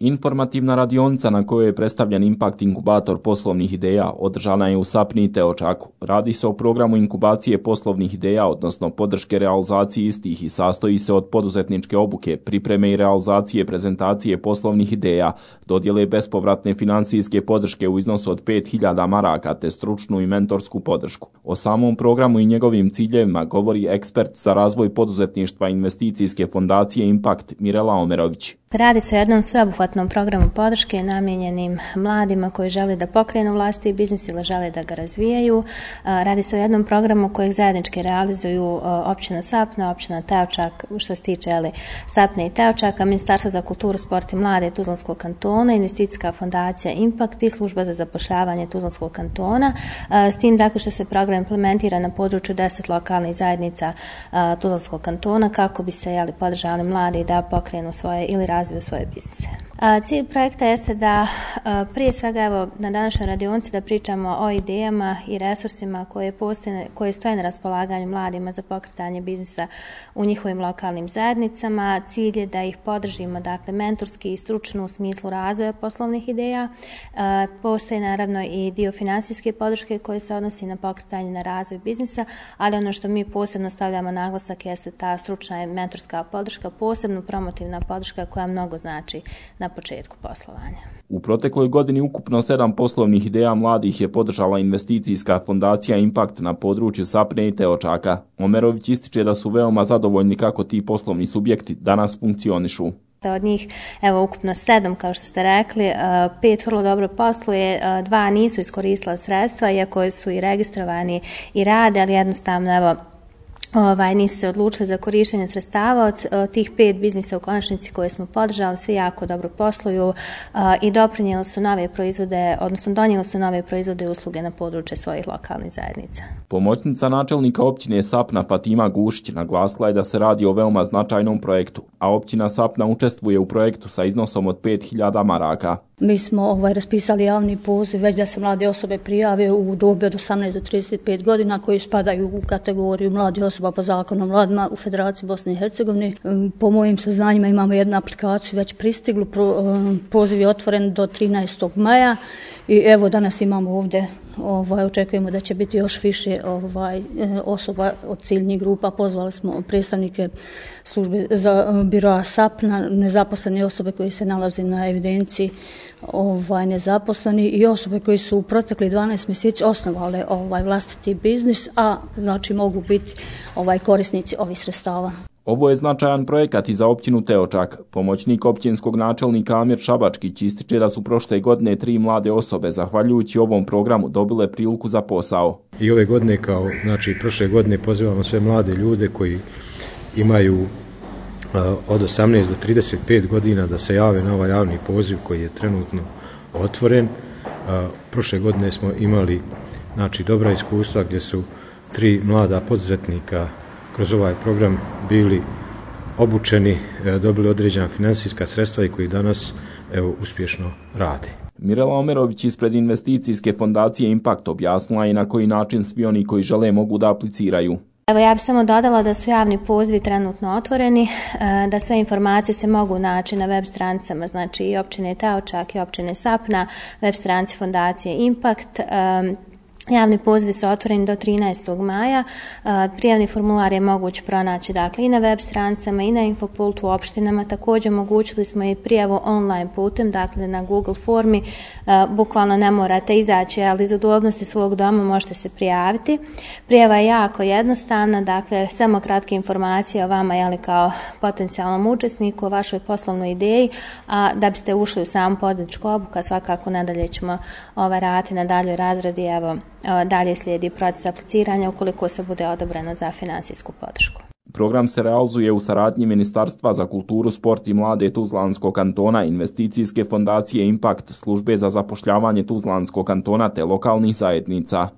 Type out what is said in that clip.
Informativna radionica na kojoj je predstavljen Impact inkubator poslovnih ideja održana je u Sapni i Teočaku. Radi se o programu inkubacije poslovnih ideja, odnosno podrške realizaciji istih i sastoji se od poduzetničke obuke, pripreme i realizacije prezentacije poslovnih ideja, dodjele bespovratne financijske podrške u iznosu od 5000 maraka te stručnu i mentorsku podršku. O samom programu i njegovim ciljevima govori ekspert za razvoj poduzetništva investicijske fondacije Impact Mirela Omerović. Radi se o jednom sveobuhvatnom programu podrške namijenjenim mladima koji žele da pokrenu vlastiti biznis ili žele da ga razvijaju. Radi se o jednom programu kojeg zajednički realizuju općina Sapna, općina Teočak, što se tiče Sapne i Teočaka, Ministarstvo za kulturu, sport i mlade Tuzlanskog kantona, investicijska fondacija Impact i služba za zapošljavanje Tuzlanskog kantona. S tim dakle što se program implementira na području 10 lokalnih zajednica Tuzlanskog kantona kako bi se podržali mladi da pokrenu svoje ili razviju svoje biznise. Cilj projekta jeste da prije svega na današnjoj radionici da pričamo o idejama i resursima koje stoje na raspolaganju mladima za pokretanje biznisa u njihovim lokalnim zajednicama. Cilj je da ih podržimo mentorski i stručno u smislu razvoja poslovnih ideja. Postoji naravno i dio financijske podrške koji se odnosi na pokretanje na razvoj biznisa, ali ono što mi posebno stavljamo naglasak jeste ta stručna i mentorska podrška, posebno promotivna podrška koja mnogo znači na početku poslovanja. U protekloj godini ukupno 7 poslovnih ideja mladih je podržala investicijska fondacija Impact na području Sapne i Teočaka. Omerović ističe da su veoma zadovoljni kako ti poslovni subjekti danas funkcionišu. Od njih, ukupno 7, kao što ste rekli, 5 vrlo dobro posluje, 2 nisu iskoristila sredstva, iako su i registrovani i rade, ali jednostavno, nisu se odlučili za korištenje sredstava. Od tih 5 biznisa u konačnici koje smo podržali, svi jako dobro posluju i doprinijeli su nove proizvode, odnosno donijeli su nove proizvode i usluge na područje svojih lokalnih zajednica. Pomoćnica načelnika općine Sapna Fatima Gušić naglasila je da se radi o veoma značajnom projektu, a općina Sapna učestvuje u projektu sa iznosom od 5000 maraka. Mi smo raspisali javni poziv već da se mlade osobe prijave u dobi od 18 do 35 godina koji spadaju u kategoriju mladih osoba po zakonu o mladima u Federaciji Bosne i Hercegovine. Po mojim saznanjima imamo jednu aplikaciju već pristiglu, poziv je otvoren do 13. maja i evo danas imamo ovdje, očekujemo da će biti još više osoba od ciljnih grupa. Pozvali smo predstavnike službe za biroa Sapna, nezaposlene osobe koji se nalaze na evidenciji nezaposleni i osobe koji su u proteklih 12 mjeseci osnovale vlastiti biznis, a znači mogu biti korisnici ovih sredstava. Ovo je značajan projekat i za općinu Teočak. Pomoćnik općinskog načelnika Amir Šabačkić ističe da su prošle godine 3 mlade osobe, zahvaljujući ovom programu, dobile priliku za posao. I ove godine, prošle godine, pozivamo sve mlade ljude koji imaju od 18 do 35 godina da se jave na ovaj javni poziv koji je trenutno otvoren. Prošle godine smo imali dobra iskustva gdje su 3 mlada poduzetnika kroz ovaj program bili obučeni, dobili određena financijska sredstva i koji danas uspješno rade. Mirela Omerović ispred investicijske fondacije Impact objasnila je na koji način svi oni koji žele mogu da apliciraju. Ja bih samo dodala da su javni pozivi trenutno otvoreni, da sve informacije se mogu naći na web stranicama, znači i općine Teočak i općine Sapna, web stranici fondacije Impact. Javni pozivi su otvoreni do 13. maja. Prijavni formular je moguć pronaći i na web stranicama i na infopultu u opštinama. Također omogućili smo i prijavu online putem, na Google formi. Bukvalno ne morate izaći, ali iz udobnosti svog doma možete se prijaviti. Prijava je jako jednostavna, samo kratke informacije o vama kao potencijalnom učesniku, o vašoj poslovnoj ideji, a da biste ušli u samu poduzetničku obuku, a svakako nadalje ćemo raditi na daljoj razradi. Dalje slijedi proces apliciranja ukoliko se bude odobreno za financijsku podršku. Program se realizuje u saradnji Ministarstva za kulturu, sport i mlade Tuzlanskog kantona, investicijske fondacije Impact, službe za zapošljavanje Tuzlanskog kantona te lokalnih zajednica.